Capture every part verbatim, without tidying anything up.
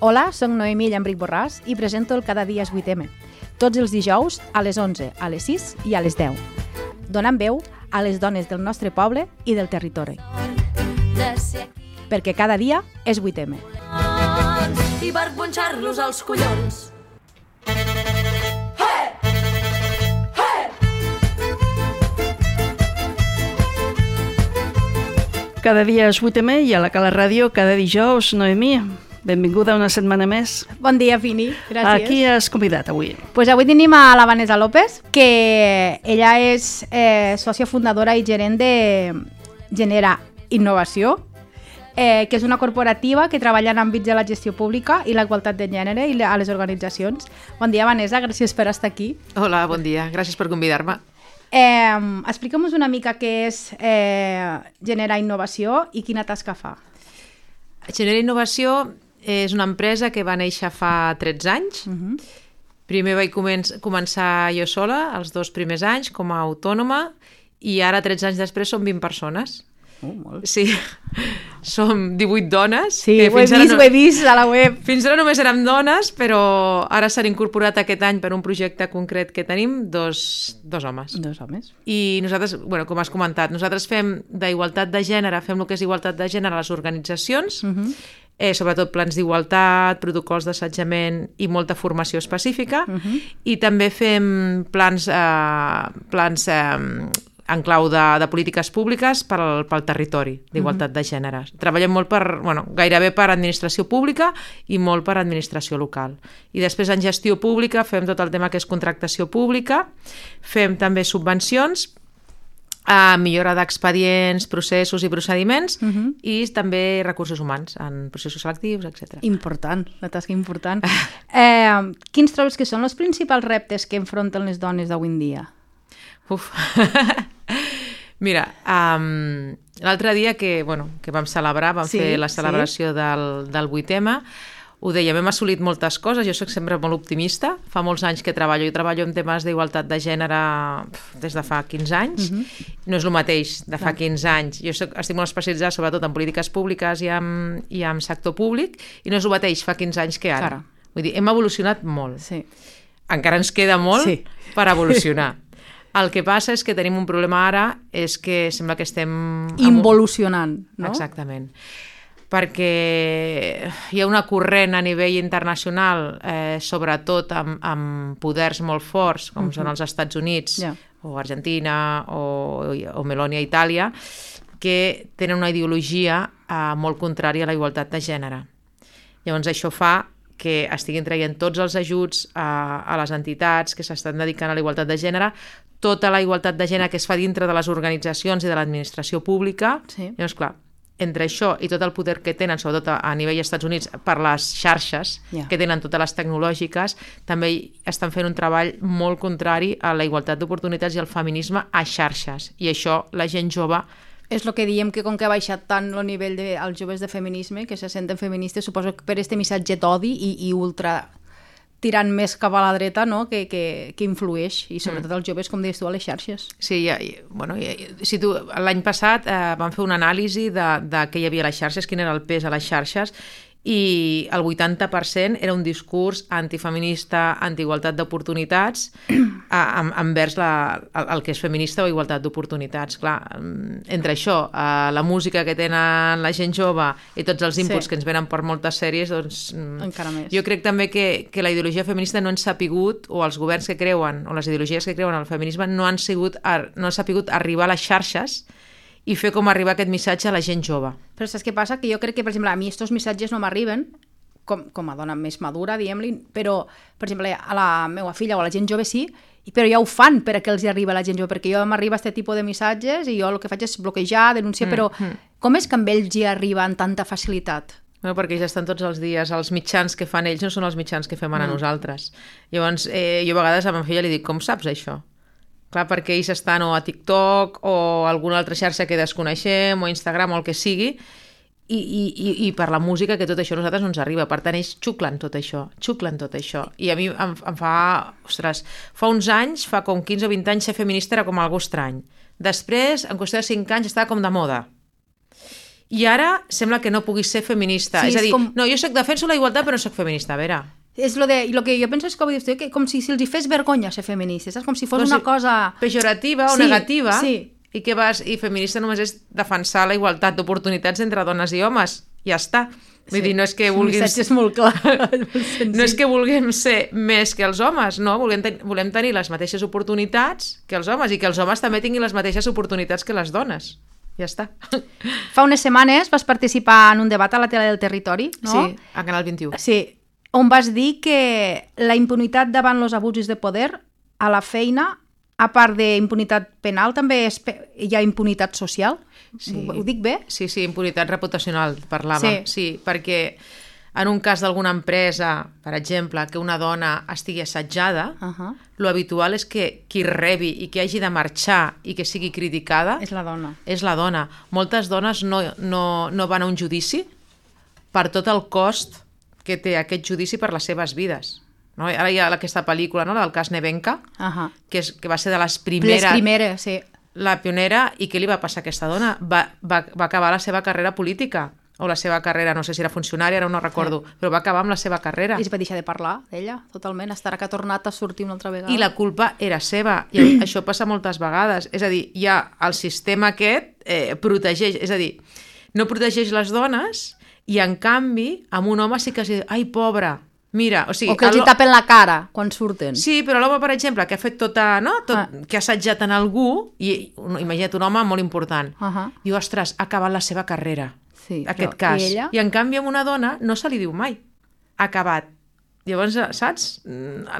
Hola, soc Noemí Llambric Borràs i presento el Cada dia és vuit eme. Tots els dijous a les onze, a les sis i a les deu. Donant veu a les dones del nostre poble i del territori. Perquè cada dia és vuit eme. I per punxar-los als collons. Cada dia és vuit eme i a la Cala Ràdio cada dijous. Noemí, benvinguda una setmana més. Bon dia, Fini. Gràcies. A qui has convidat avui? Pues avui tenim a la Vanessa López, que ella és eh, sòcia fundadora i gerent de Genera Innovació, eh, que és una corporativa que treballa en àmbits de la gestió pública i la igualtat de gènere i a les organitzacions. Bon dia, Vanessa, gràcies per estar aquí. Hola, bon dia. Gràcies per convidar-me. Eh, Explica'm una mica què és eh, Genera Innovació i quina tasca fa. Genera Innovació és una empresa que va néixer fa tretze anys. Uh-huh. Primer vaig començ- començar jo sola, els dos primers anys, com a autònoma, i ara, tretze anys després, som vint persones. Oh, molt. Sí, som divuit dones. Sí, que ho he fins ara vist, no- ho he vist a la web. Fins ara només érem dones, però ara s'han incorporat aquest any per un projecte concret que tenim dos, dos homes. Dos homes. I nosaltres, bueno, com has comentat, nosaltres fem d'igualtat de gènere, fem el que és igualtat de gènere a les organitzacions, uh-huh. eh, sobretot plans d'igualtat, protocols d'assetjament i molta formació específica, uh-huh. i també fem plans, eh, plans eh, en clau de, de polítiques públiques pel, pel territori d'igualtat uh-huh. de gènere. Treballem molt per, bueno, gairebé per administració pública i molt per administració local. I després en gestió pública fem tot el tema que és contractació pública, fem també subvencions, a millora d'expedients, processos i procediments, uh-huh. i també recursos humans en processos selectius, etcètera. Important, la tasca important. eh, quins trobes que són els principals reptes que enfronten les dones d'avui en dia? Uf. Mira, um, l'altre dia que, bueno, que vam celebrar, vam Sí, fer la celebració sí. del, del vuit eme, ho dèiem, hem assolit moltes coses, jo soc sempre molt optimista, fa molts anys que treballo, i treballo en temes d'igualtat de gènere pf, des de fa quinze anys, uh-huh. no és el mateix de fa quinze anys, jo soc, estic molt especialitzada sobretot en polítiques públiques i en, i en sector públic, i no és el mateix fa quinze anys que ara. Cara. Vull dir, hem evolucionat molt. Sí. Encara ens queda molt Sí. per evolucionar. El que passa és que tenim un problema ara, és que sembla que estem... Involucionant, no? Exactament. Perquè hi ha una corrent a nivell internacional, eh, sobretot amb, amb poders molt forts, com uh-huh. són els Estats Units, yeah. o Argentina, o, o Melònia, Itàlia, que tenen una ideologia eh, molt contrària a la igualtat de gènere. Llavors això fa que estiguin traient tots els ajuts a, a les entitats que s'estan dedicant a la igualtat de gènere, tota la igualtat de gènere que es fa dintre de les organitzacions i de l'administració pública. Sí. Llavors, clar, entre això i tot el poder que tenen, sobretot a, a nivell dels Estats Units, per les xarxes, yeah. que tenen totes les tecnològiques, també estan fent un treball molt contrari a la igualtat d'oportunitats i al feminisme a xarxes. I això la gent jove... És el que diem, que com que ha baixat tant el nivell dels joves de feminisme, que se senten feministes, suposo que per este missatge d'odi i, i ultra tirant més cap a la dreta, no? que, que, que influeix, i sobretot els joves, com deies tu, a les xarxes. Sí, ja, bueno, ja, si tu, l'any passat eh, vam fer una anàlisi de, de què hi havia a les xarxes, quin era el pes a les xarxes, i el vuitanta per cent era un discurs antifeminista, anti-igualtat d'oportunitats, envers la, el, el que és feminista o igualtat d'oportunitats. Clar, entre això, la música que tenen la gent jove i tots els inputs sí. que ens venen per moltes sèries, doncs... Encara més. Jo crec també que, que la ideologia feminista no han sapigut, o els governs que creuen, o les ideologies que creuen al feminisme, no han, sigut, no han sapigut arribar a les xarxes i fer com arribar aquest missatge a la gent jove. Però saps què passa? Que jo crec que, per exemple, a mi aquests missatges no m'arriben, com, com a dona més madura, diguem-li, però, per exemple, a la meva filla o a la gent jove sí, però ja ho fan per a que els hi arriba a la gent jove, perquè jo m'arriba aquest tipus de missatges i jo el que faig és bloquejar, denunciar, mm, però mm. com és que amb ells hi arriba amb tanta facilitat? Bueno, perquè ja estan tots els dies, els mitjans que fan ells no són els mitjans que fem ara mm. nosaltres. Llavors, eh, jo a vegades a ma filla li dic, com saps això? Clar, perquè ells estan o a TikTok o a alguna altra xarxa que desconeixem, o Instagram o el que sigui, i, i, i per la música, que tot això a nosaltres no ens arriba. Per tant, ells xuclen tot això, xuclen tot això. I a mi em, em fa... Ostres, fa uns anys, fa com quinze o vint anys, ser feminista era com algo estrany. Després, en qüestió de cinc anys, estava com de moda. I ara sembla que no puguis ser feminista. Sí, és a dir, és com... no, jo soc defenso la igualtat però no soc feminista, a veure. És lo de, lo que jo penso és que, dius, que com si, si els hi fes vergonya ser feministes, saps? Com si fos com una si cosa... Pejorativa o sí, negativa. Sí. I que vas, i feminista només és defensar la igualtat d'oportunitats entre dones i homes. Ja està. Vull sí. dir, no és que vulguin... El missatge és molt clar. No és que vulguem ser més que els homes, no. Volem, ten volem tenir les mateixes oportunitats que els homes i que els homes també tinguin les mateixes oportunitats que les dones. Ja està. Fa unes setmanes vas participar en un debat a la tele del territori, no? Sí, a Canal vint-i-u. Sí, on vas dir que la impunitat davant els abusos de poder a la feina, a part d'impunitat penal, també és, hi ha impunitat social? Sí. Ho, ho dic bé? Sí, sí, impunitat reputacional, parlàvem. Sí, sí perquè en un cas d'alguna empresa, per exemple, que una dona estigui assetjada, uh -huh. lo habitual és que qui rebi i que hagi de marxar i que sigui criticada... És la dona. És la dona. Moltes dones no, no, no van a un judici per tot el cost que té aquest judici per les seves vides. No? Ara hi ha aquesta pel·lícula, no? La del cas Nevenka, uh -huh. que, és, que va ser de les primeres... Les primeres, sí. La pionera, i què li va passar a aquesta dona? Va, va, va acabar la seva carrera política, o la seva carrera, no sé si era funcionària, ara no recordo, sí. però va acabar amb la seva carrera. I es va deixar de parlar d'ella, totalment, estarà que ha tornat a sortir una altra vegada. I la culpa era seva, i això passa moltes vegades. És a dir, hi ha el sistema aquest eh, protegeix, és a dir, no protegeix les dones, i en canvi, amb un home sí que es diu, ai, pobra, mira, o sigui... O que els hi tapen la cara quan surten. Sí, però l'home, per exemple, que ha fet tota, no? Tot, ah. que ha assetjat en algú, i imagina't un home molt important, uh -huh. diu, ostres, ha acabat la seva carrera. Sí, aquest però, cas. I, ella? I en canvi amb una dona no se li diu mai. Ha acabat. Llavors, saps?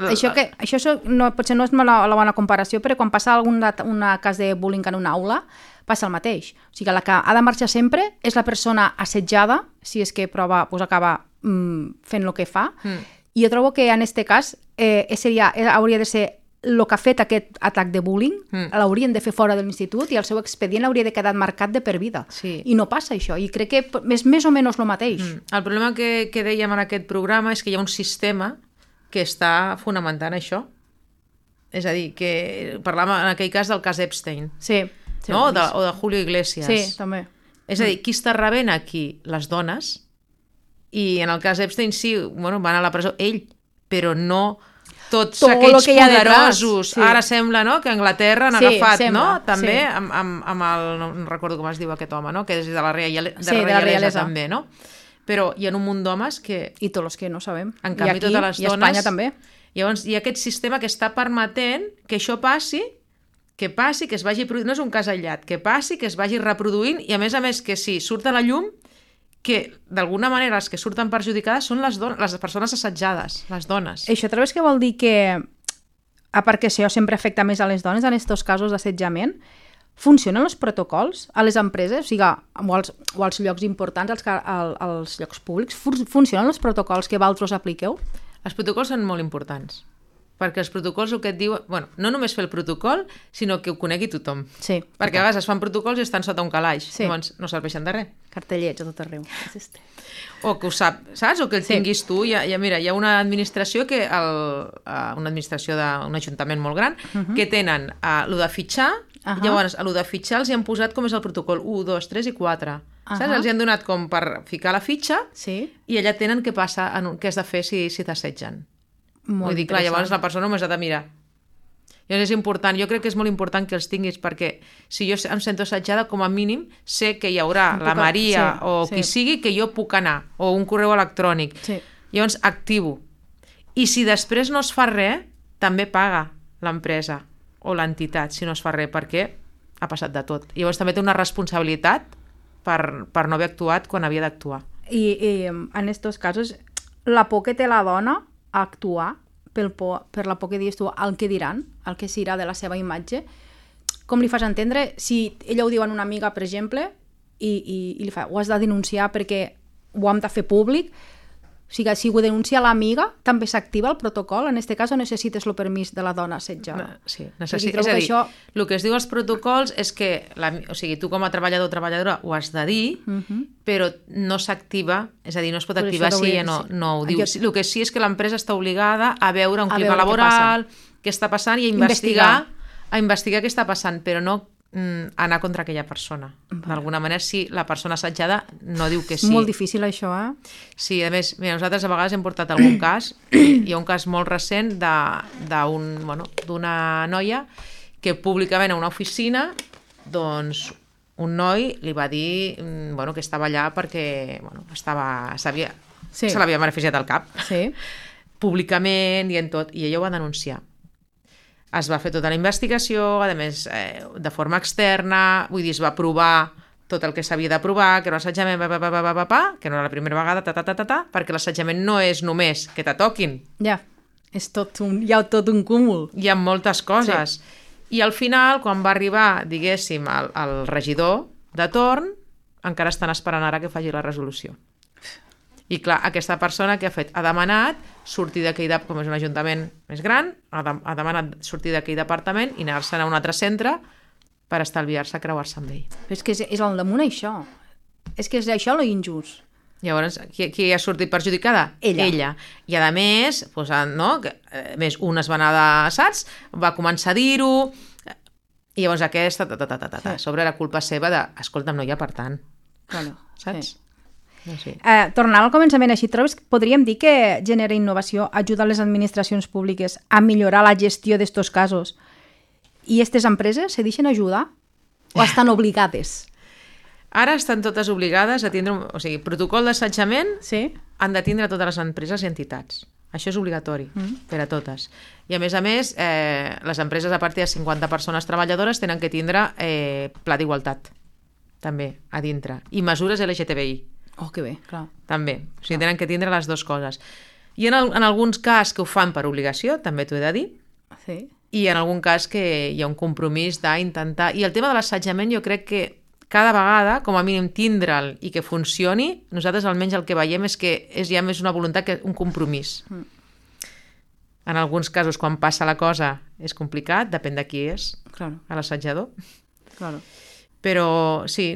Això, que, això no, potser no és la, la bona comparació, però quan passa algun una cas de bullying en una aula, passa el mateix. O sigui, la que ha de marxar sempre és la persona assetjada, si és que prova, doncs acaba mm, fent el que fa, mm. i jo trobo que en aquest cas eh, seria, hauria de ser el que ha fet aquest atac de bullying, mm. l'haurien de fer fora de l'institut i el seu expedient hauria de quedar marcat de per vida. Sí. I no passa això. I crec que és més o menys el mateix. Mm. El problema que, que dèiem en aquest programa és que hi ha un sistema que està fonamentant això. És a dir, que parlàvem en aquell cas del cas Epstein. Sí. sí no? de, o de Julio Iglesias. Sí, també. És a dir, qui està rebent aquí? Les dones. I en el cas Epstein sí, bueno, van a la presó ell, però no... tots Tot aquells poderosos, sí. Ara sembla, no?, que Anglaterra han sí, agafat, sembla, no?, també, sí. amb, amb, amb el, no, no recordo com es diu aquest home, no?, que és de la, real, de sí, la realesa, realesa també, no? Però hi ha un munt d'homes que... I tots els que no sabem. En canvi, I aquí, totes les i a dones... Espanya també. Llavors, hi ha aquest sistema que està permetent que això passi, que passi, que es vagi... No és un cas aïllat, que passi, que es vagi reproduint, i a més a més que si surt a la llum, que d'alguna manera les que surten perjudicades són les, dones, les persones assetjades, les dones. Això trobes que vol dir que... a part que això sempre afecta més a les dones en aquests casos d'assetjament, funcionen els protocols a les empreses, o sigui, o als, o als llocs importants, als, als, als llocs públics, funcionen els protocols que vosaltres apliqueu? Els protocols són molt importants, perquè els protocols el que et diuen... Bueno, no només fer el protocol, sinó que ho conegui tothom. Sí. Perquè a vegades es fan protocols i estan sota un calaix, sí. Llavors no serveixen de res. Cartellets a tot arreu. O que ho sap, saps? O que el sí. tinguis tu. Hi ha, hi ha, mira, hi ha una administració, que el, uh, una administració d'un ajuntament molt gran, uh -huh. que tenen uh, el de fitxar, uh -huh. llavors el de fitxar els hi han posat com és el protocol u, dos, tres i quatre. Uh -huh. Saps? Els hi han donat com per ficar la fitxa sí. i allà tenen què passa, en un, què has de fer si, si t'assetgen. Vull dir, clar, llavors la persona només ha de mirar. Llavors és important, jo crec que és molt important que els tinguis, perquè si jo em sento assetjada, com a mínim sé que hi haurà la Maria sí, o sí. qui sigui, que jo puc anar, o un correu electrònic. Sí. Llavors activo. I si després no es fa res, també paga l'empresa o l'entitat si no es fa res, perquè ha passat de tot. Llavors també té una responsabilitat per, per no haver actuat quan havia d'actuar. I, I en aquests casos, la por que té la dona a actuar pel por, per la por que dius tu, el que diran, el que serà de la seva imatge, com li fas entendre? Si ella ho diu a una amiga, per exemple, i, i, i li fa, ho has de denunciar perquè ho hem de fer públic, o sigui, si ho denuncia l'amiga, també s'activa el protocol? En aquest cas, o necessites el permís de la dona assetjada? Sí, necessites. És a dir, això... el que es diu als protocols és que, la, o sigui, tu com a treballador o treballadora ho has de dir, uh -huh. però no s'activa, és a dir, no es pot però activar si ella no, no ho diu. Jo... El que sí és que l'empresa està obligada a veure un clima laboral, què, què està passant, i a investigar, investigar, a investigar què està passant, però no mm, anar contra aquella persona. D'alguna manera, si la persona assetjada no diu que sí. És molt difícil això, eh? Sí, a més, mira, nosaltres a vegades hem portat algun cas, hi ha un cas molt recent d'un, bueno, d'una noia que públicament a una oficina, doncs, un noi li va dir, bueno, que estava allà perquè, bueno, estava, sabia, Sí. se l'havia beneficiat al cap, Sí. públicament i en tot, i ella ho va denunciar. Es va fer tota la investigació, a més, eh, de forma externa, vull dir, es va provar tot el que s'havia de provar, que era un assetjament, pa, pa, pa, pa, pa, pa, que no era la primera vegada, ta, ta, ta, ta, ta, perquè l'assetjament no és només que te toquin, Ja, és tot un, hi ha tot un cúmul. hi ha moltes coses. Sí. I al final, quan va arribar, diguéssim, el, el regidor de torn, encara estan esperant ara que faci la resolució. I clar, aquesta persona que ha fet, ha demanat sortir d'aquell, com és un ajuntament més gran, ha, de, ha demanat sortir d'aquell departament i anar-se'n a un altre centre per estalviar-se creuar-se amb ell. Però és que és, és al damunt això. És que és això lo injust. Llavors, qui, qui ha sortit perjudicada? Ella. Ella. I a més, doncs, no, que, a més, un es va anar de saps, va començar a dir-ho, i llavors aquesta, ta, ta, ta, ta, ta, ta, Sí. sobre la culpa seva de, escolta'm, no hi ha per tant, Claro, saps? sí. No sé. Eh, tornant al començament, així trobes que podríem dir que genera innovació ajuda les administracions públiques a millorar la gestió d'estos casos i aquestes empreses se deixen ajudar o estan obligades? Ara estan totes obligades a tindre, un, o sigui, protocol d'assetjament Sí? han de tindre totes les empreses i entitats. Això és obligatori mm. per a totes. I a més a més, eh, les empreses a partir de cinquanta persones treballadores tenen que tindre eh, pla d'igualtat, també, a dintre. I mesures L G T B I. Oh, que bé, clar. També. O sigui, tenen que tindre les dues coses. I en, el, en alguns cas que ho fan per obligació, també t'ho he de dir, Sí. i en algun cas que hi ha un compromís d'intentar... I el tema de l'assetjament jo crec que cada vegada, com a mínim, tindre'l i que funcioni, nosaltres almenys el que veiem és que és ja més una voluntat que un compromís. Mm. En alguns casos, quan passa la cosa, és complicat, depèn de qui és, Claro, l'assetjador. claro. Però sí,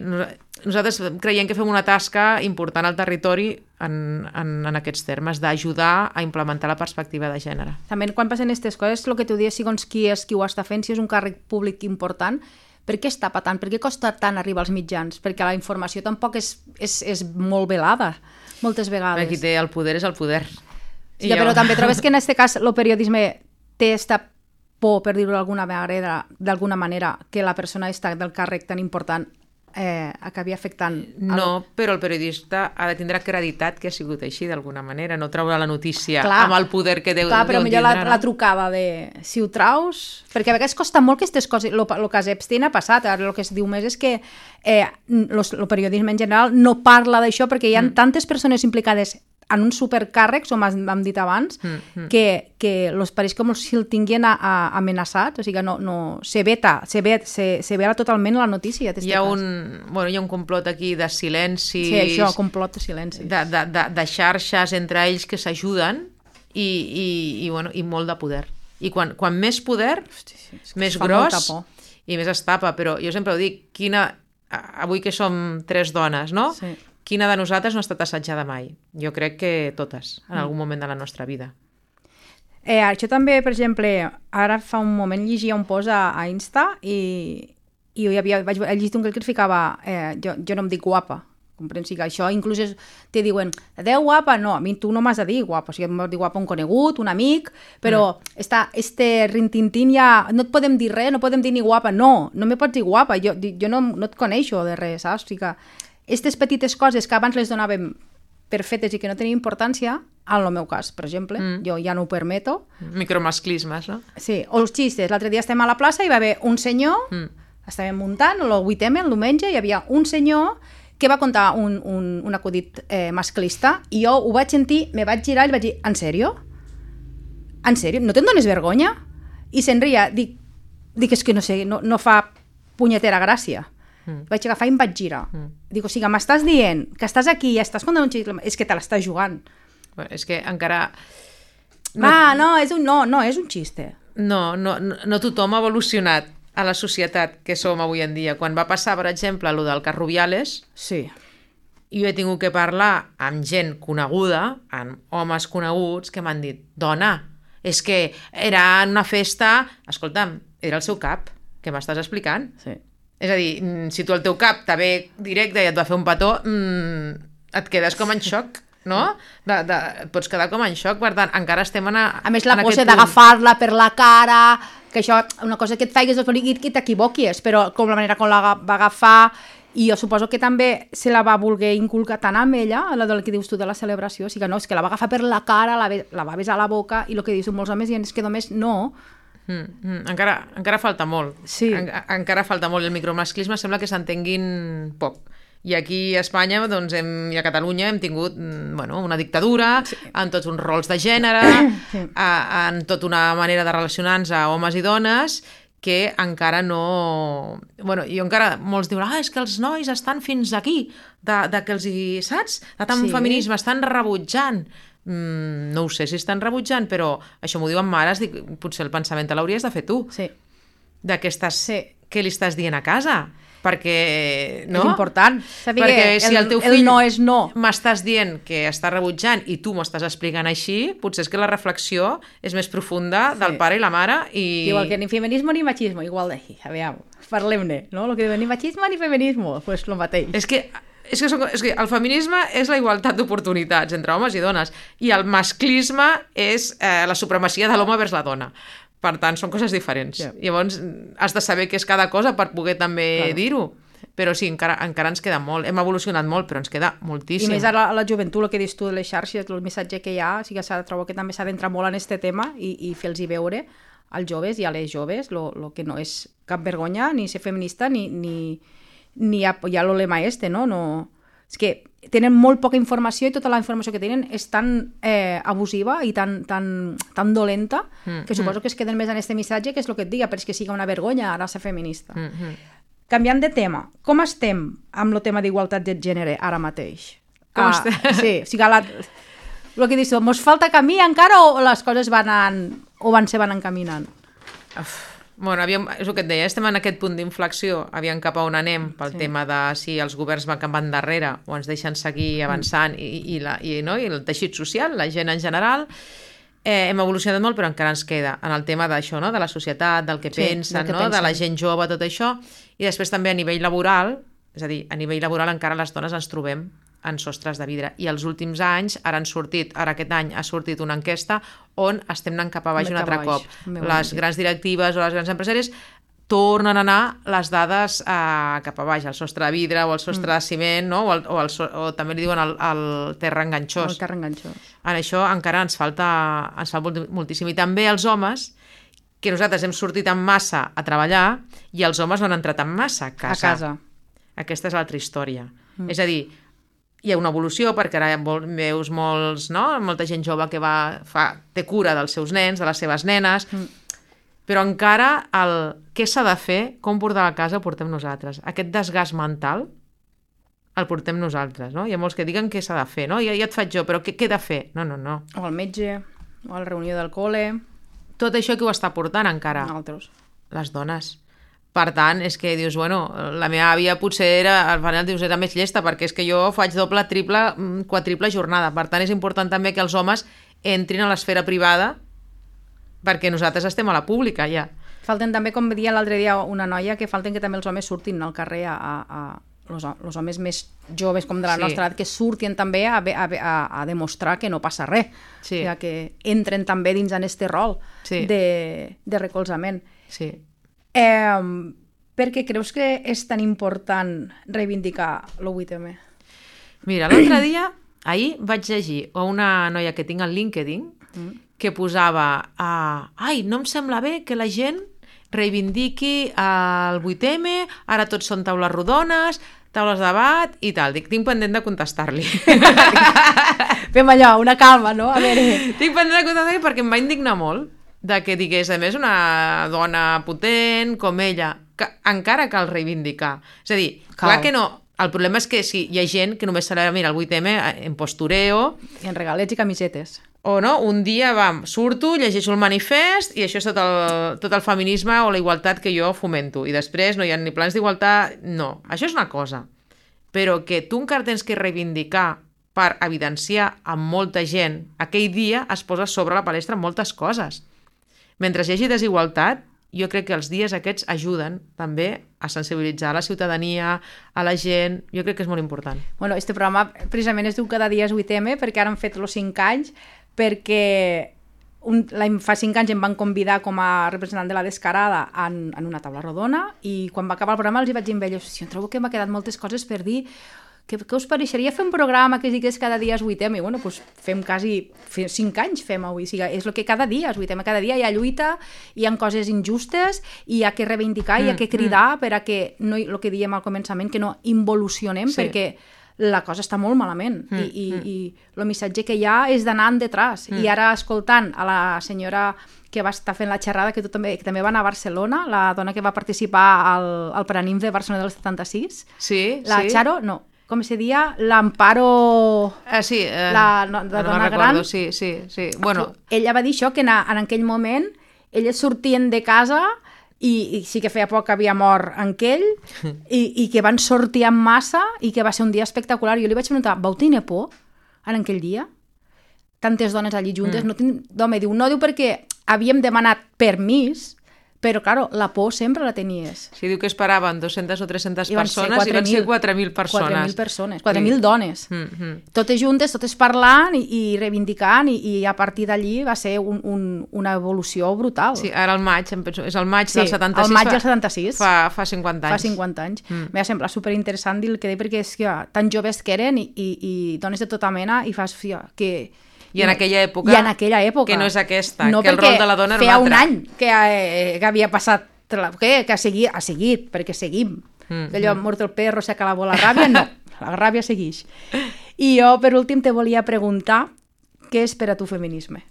nosaltres creiem que fem una tasca important al territori en, en, en aquests termes, d'ajudar a implementar la perspectiva de gènere. També quan passen aquestes coses, el que tu dius, segons qui és qui ho està fent, si és un càrrec públic important, per què es tapa tant? Per què costa tant arribar als mitjans? Perquè la informació tampoc és, és, és molt velada, moltes vegades. Qui té el poder és el poder. Sí, ja, però també trobes que en aquest cas el periodisme té esta por, per dir-ho d'alguna manera, d'alguna manera, que la persona està del càrrec tan important eh, acabi afectant... El... No, però el periodista ha de tindre acreditat que ha sigut així d'alguna manera, no treure la notícia Clar, amb el poder que deu, clar, però deu millor tindre. la, No? la trucada de si ho traus... Perquè a vegades costa molt que aquestes coses... El cas Epstein ha passat, ara el que es diu més és que eh, el periodisme en general no parla d'això perquè hi ha mm. tantes persones implicades en uns supercàrrecs, com hem dit abans, mm, mm. que, que los pareix com si el tinguin a, a, amenaçat, o sigui que no, no, se veta, se, vet, se, se vela totalment la notícia. Hi ha, un, bueno, hi ha un complot aquí de silencis... Sí, això, complot de silencis. De, de, de, de xarxes entre ells que s'ajuden i, i, i, bueno, i molt de poder. I quan, quan més poder, Hosti, sí, és que més fa gros molta por. i més es tapa, però jo sempre ho dic, quina, avui que som tres dones, no? Sí. Quina de nosaltres no ha estat assetjada mai? Jo crec que totes, en algun moment de la nostra vida. Eh, això també, per exemple, ara fa un moment llegia un post a, a Insta i, i hi havia, vaig llegir un que et ficava eh, jo, jo no em dic guapa, comprens? Que això inclús és, te diuen, adeu guapa, no, a mi tu no m'has de dir guapa, o sigui, m'has de dir guapa un conegut, un amic, però mm. està, este rintintín ja, no et podem dir res, no podem dir ni guapa, no, no me pots dir guapa, jo, jo no, no et coneixo de res, saps? O sigui que aquestes petites coses que abans les donàvem per fetes i que no tenien importància, en el meu cas, per exemple, mm. jo ja no ho permeto. Micromasclismes, no? Sí, o els xistes. L'altre dia estem a la plaça i va haver un senyor, mm. estàvem muntant, el vuit eme, el diumenge, hi havia un senyor que va contar un, un, un acudit eh, masclista i jo ho vaig sentir, me vaig girar i vaig dir, en sèrio? En sèrio? No te'n dones vergonya? I se'n ria. Dic, dic, és que no sé, no, no fa punyetera gràcia. Mm. Vaig agafar i em vaig girar. Mm. Dic, o sigui, m'estàs dient que estàs aquí i estàs contant un xiscle, és que te l'estàs jugant. Bueno, és que encara... No, ah, no, és un, no, no, és un xiste. No, no, no, no tothom ha evolucionat a la societat que som avui en dia. Quan va passar, per exemple, lo del cas Rubiales, sí. jo he tingut que parlar amb gent coneguda, amb homes coneguts, que m'han dit, dona, és que era en una festa... Escolta'm, era el seu cap, que m'estàs explicant? Sí. És a dir, si tu al teu cap te ve directe i et va fer un petó, mmm, et quedes com en xoc, no? De, de, et pots quedar com en xoc, per tant, encara estem en, a, a més, la en cosa d'agafar-la per la cara, que això, una cosa que et faigues i que t'equivoquis, però com la manera com la va agafar, i jo suposo que també se la va voler inculcar tant amb ella, la del que dius tu de la celebració, o sigui que no, és que la va agafar per la cara, la, la va besar a la boca, i el que dius molts homes i és que només no. Mm, mm, encara, encara falta molt. Sí. En, encara falta molt. El micromasclisme sembla que s'entenguin poc. I aquí a Espanya, doncs, hem, i a Catalunya hem tingut, bueno, una dictadura, sí, en tots uns rols de gènere, sí, a, en tota una manera de relacionar-nos a homes i dones, que encara no... Bueno, i encara molts diuen, ah, és que els nois estan fins aquí, de, de que els hi, saps? De tant sí, feminisme, estan rebutjant. Mm, no ho sé si estan rebutjant, però això m'ho diuen mares, dic, potser el pensament te l'hauries de fer tu. Sí. De què, estàs, sí. què li estàs dient a casa? Perquè, no? És important. Saber perquè que si el, el teu fill el no és no. m'estàs dient que està rebutjant i tu m'ho estàs explicant així, potser és que la reflexió és més profunda del sí. pare i la mare. I... Igual que ni feminisme ni machismo, igual de... A veure, parlem-ne, no? Lo que diuen ni machismo ni feminismo, pues lo mateix. És que, és que, són, és que el feminisme és la igualtat d'oportunitats entre homes i dones i el masclisme és eh, la supremacia de l'home vers la dona. Per tant, són coses diferents. Yeah. Llavors, has de saber què és cada cosa per poder també claro. dir-ho. Però sí, encara, encara ens queda molt. Hem evolucionat molt, però ens queda moltíssim. I més a la, a la joventut, el que dius tu de les xarxes, el missatge que hi ha, o sigui, trobo que també s'ha d'entrar molt en aquest tema i, i fer-los veure als joves i a les joves el que no és cap vergonya, ni ser feminista, ni, ni, ni ha, ja el lema este, no? no? És que tenen molt poca informació i tota la informació que tenen és tan eh, abusiva i tan, tan, tan dolenta mm, que suposo mm. que es queden més en aquest missatge que és el que et diga, però és que siga una vergonya ara ser feminista. Mm, mm. Canviant de tema, com estem amb el tema d'igualtat de gènere ara mateix? Com ah, estem? Sí, o sigui, la, el que dius, mos falta camí encara o les coses van an, o van se van encaminant? Uf. Bueno, aviam, és el que et deia, estem en aquest punt d'inflexió, aviam cap a on anem pel sí. tema de si els governs van van darrere o ens deixen seguir avançant mm. i, i, la, i, no? I el teixit social, la gent en general. Eh, hem evolucionat molt, però encara ens queda en el tema d'això, no? De la societat, del que sí, pensen, del que no? pensen, de la gent jove, tot això. I després també a nivell laboral, és a dir, a nivell laboral encara les dones ens trobem en sostres de vidre. I els últims anys, ara han sortit, ara aquest any ha sortit una enquesta on estem anant cap a baix un altre cop. Les grans directives o les grans empresàries tornen a anar les dades eh, cap a baix, al sostre de vidre o al sostre mm. de ciment, no? o, el, o, el, o també li diuen el, el terra enganxós. El terra enganxós. En això encara ens falta, ens falta moltíssim. I també els homes, que nosaltres hem sortit en massa a treballar i els homes no han entrat en massa a casa. A casa. Aquesta és l'altra història. Mm. És a dir, hi ha una evolució perquè ara veus molts, no? molta gent jove que va, fa, té cura dels seus nens, de les seves nenes, mm. però encara el què s'ha de fer, com portar a casa, ho portem nosaltres. Aquest desgast mental el portem nosaltres. No? Hi ha molts que diguen què s'ha de fer, no? Ja, ja et faig jo, però què, què he de fer? No, no, no. O al metge, o a la reunió del col·le... Tot això que ho està portant encara? Altres. Les dones. Per tant, és que dius, bueno, la meva àvia potser era, al final dius, era més llesta, perquè és que jo faig doble, triple, quadriple jornada. Per tant, és important també que els homes entrin a l'esfera privada perquè nosaltres estem a la pública, ja. Falten també, com deia l'altre dia una noia, que falten que també els homes surtin al carrer a... a, a... Els, els homes més joves com de la sí. nostra edat que surtin també a, a, a, a demostrar que no passa res, sí. o sigui, que entren també dins en este rol sí. de, de recolzament. Sí. Eh, per què creus que és tan important reivindicar l'O vuit eme? Mira, l'altre dia, ahir vaig llegir a una noia que tinc al LinkedIn mm. que posava uh, ai, no em sembla bé que la gent reivindiqui el vuit eme, ara tots són taules rodones, taules de debat i tal. Dic, tinc pendent de contestar-li. Fem allò, una calma, no? A veure... Tinc pendent de contestar-li perquè em va indignar molt de que digués, a més, una dona potent com ella, que encara cal reivindicar. És a dir, cal. Clar que no... El problema és que si hi ha gent que només celebra, mira, el vuit eme en postureo... I en regalets i camisetes. O no, un dia, vam, surto, llegeixo el manifest i això és tot el, tot el feminisme o la igualtat que jo fomento. I després no hi ha ni plans d'igualtat... No, això és una cosa. Però que tu encara tens que reivindicar per evidenciar amb molta gent, aquell dia es posa sobre la palestra moltes coses. Mentre hi hagi desigualtat, jo crec que els dies aquests ajuden també a sensibilitzar la ciutadania, a la gent, jo crec que és molt important. Bueno, este programa precisament es diu Cada dia és vuit eme, perquè ara han fet els cinc anys, perquè un, la, fa cinc anys em van convidar com a representant de la Descarada en, en una taula rodona, i quan va acabar el programa els hi vaig dir a ells, si em trobo que m'ha quedat moltes coses per dir, què, què us pareixeria fer un programa que es digués Cada dia és vuit eme? I bueno, doncs fem quasi fem cinc anys fem avui, o sigui, és el que cada dia és vuit eme, cada dia hi ha lluita, hi ha coses injustes, i hi ha que reivindicar, mm, hi ha que cridar mm. per a que, no, el que diem al començament, que no involucionem, sí. perquè la cosa està molt malament, mm, i, i, mm. i el missatge que hi ha és d'anar en detrás, mm. i ara escoltant a la senyora que va estar fent la xerrada, que, tu també, que també va anar a Barcelona, la dona que va participar al, al Paranim de Barcelona del setanta-sis, sí, la sí. Charo, no, com se dia, l'Amparo... Ah, sí, eh, la, no, la no dona recordo, gran. sí, sí, sí. Bueno. Ella va dir això, que en, en aquell moment elles sortien de casa i, i sí que feia poc que havia mort en aquell, i, i que van sortir en massa i que va ser un dia espectacular. Jo li vaig preguntar, vau tenir por en aquell dia? Tantes dones allí juntes? Mm. No tinc... D'home, diu, no, diu perquè havíem demanat permís, però, claro, la por sempre la tenies. Sí, diu que esperaven dues-centes o tres-centes I persones i van ser quatre mil persones. quatre mil persones, quatre mil sí. dones. Mm -hmm. Totes juntes, totes parlant i, i reivindicant, i, i a partir d'allí va ser un, un, una evolució brutal. Sí, ara el maig, em penso, és el maig sí, del setanta-sis. el maig del setanta-sis. Fa, fa cinquanta anys. Fa cinquanta anys. Mm. M'ha semblat superinteressant dir el que deia, perquè és que tan joves que eren i, i, i dones de tota mena, i fas fia, que... I en aquella època, I en aquella època. Que no és aquesta, no, que el rol de la dona era un altre. feia un any que, eh, que havia passat, que, que ha, seguit, ha seguit, perquè seguim. Mm, Allò, mm. mort el perro, s'acabó la ràbia, no, la ràbia segueix. I jo, per últim, te volia preguntar, què és per a tu feminisme?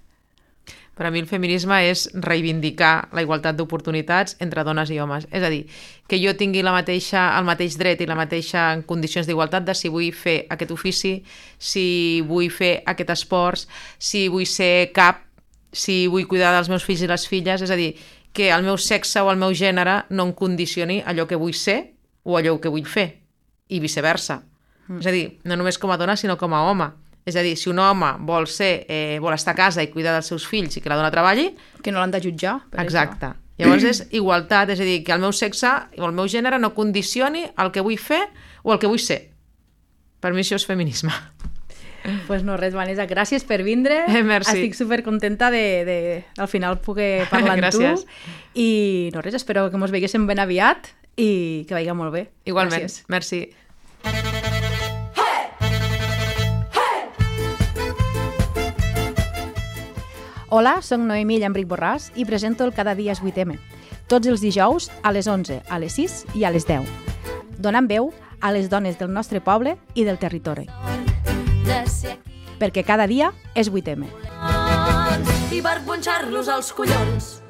Per a mi el feminisme és reivindicar la igualtat d'oportunitats entre dones i homes. És a dir, que jo tingui la mateixa, el mateix dret i la mateixa en condicions d'igualtat de si vull fer aquest ofici, si vull fer aquest esport, si vull ser cap, si vull cuidar dels meus fills i les filles. És a dir, que el meu sexe o el meu gènere no em condicioni allò que vull ser o allò que vull fer, i viceversa. Mm. És a dir, no només com a dona, sinó com a home. És a dir, si un home vol ser, eh, vol estar a casa i cuidar dels seus fills i que la dona treballi... Que no l'han de jutjar. Per exacte. Això. Llavors és igualtat, és a dir, que el meu sexe o el meu gènere no condicioni el que vull fer o el que vull ser. Per mi això és feminisme. Pues no, res, Vanessa, gràcies per vindre. Eh, merci. Estic supercontenta de, de al final poder parlar amb tu. I no, res, espero que mos veiguéssim ben aviat i que vagi molt bé. Igualment, gràcies. Merci. Hola, soc Noemí Llambric Borràs i presento el Cada dia és vuit eme. Tots els dijous a les onze, a les sis i a les deu. Donant veu a les dones del nostre poble i del territori. Perquè cada dia és vuit eme. I per punxar-los als collons.